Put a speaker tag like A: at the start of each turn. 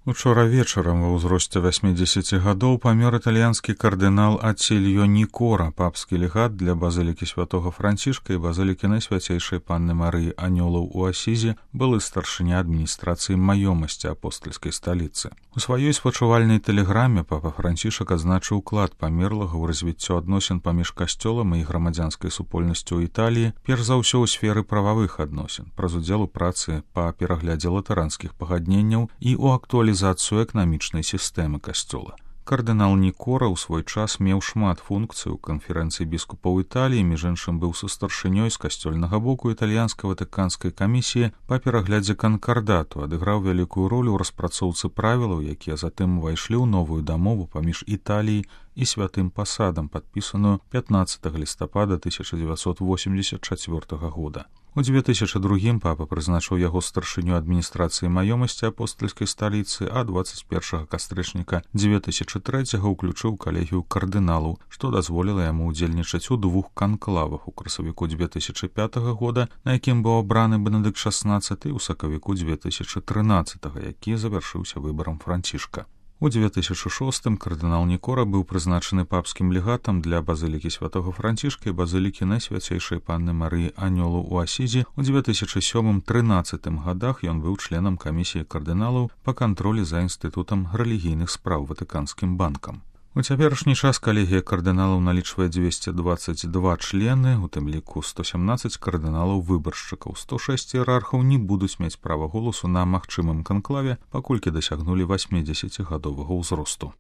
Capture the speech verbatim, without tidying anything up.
A: Учора вечарам ва ўзросце васьмідзесяці гадоў памёр італьянскі кардынал Ацільо Нікора, папскі легат для базылікі святога Францішка і базылікі Найсвяцейшай Панны Марыі Анёлаў у Асізі, былы старшыня адміністрацыі маёмасці апостальскай сталіцы. У сваёй спачувальнай тэлеграме папа Францішак адзначыў уклад памерлага ў развіццё адносін паміж касцёлам і грамадзянскай супольнасцю ў Італіі, перш за ўсё ў сферы прававых адносін, праз удзел у працы па пераглядзе латаранскіх пагадненняў і ў актуалізацыю эканамічнай сістэмы касцёла. Кардынал Нікора ў свой час меў шмат функцый у канферэнцыі біскупаў Італіі, між іншым быў сустаршынёй з касцёльнага боку італьянска-ватыканскай камісіі па пераглядзе канкардату, адыграў вялікую ролю ў распрацоўцы правілаў, якія затым увайшлі ў новую дамову паміж Італіяй і святым пасадам, падпісаную пятнаццатага лістапада тысяча дзевяцьсот восемьдесят чацвёртага года. У дзве тысячы другім папа прызначыў яго старшыню адміністрацыі маёмасці апостальскай сталіцы, а дваццаць першага кастрычніка дзве тысячы трэцяга ўключыў калегію кардыналаў, што дазволіла яму ўдзельнічаць у двух канклавах у красавіку дзве тысячы пятага года, на якім быў абраны Бенедыкт шаснаццаты, і ў сакавіку дзве тысячы трынаццатага, які завяршыўся выбарам Францішка. У дзве тысячы шостым кардынал Нікора быў прызначаны папскім легатам для базылікі святога Францішка і базылікі Найсвяцейшай Панны Марыі Анёлаў у Асізі. У дзве тысячы сёмым — трынаццатым гадах ён быў членам камісіі кардыналаў па кантролі за інстытутам рэлігійных спраў Ватыканскім банкам. У цяперашні час калегія кардыналаў налічвае дзвесце дваццаць два члены, у тым ліку сто сямнаццаць кардыналаў-выбаршчыкаў. сто шэсць іерархаў не будуць мець права голасу на магчымым канклаве, паколькі дасягнулі васьмідзесяцігадовага ўзросту.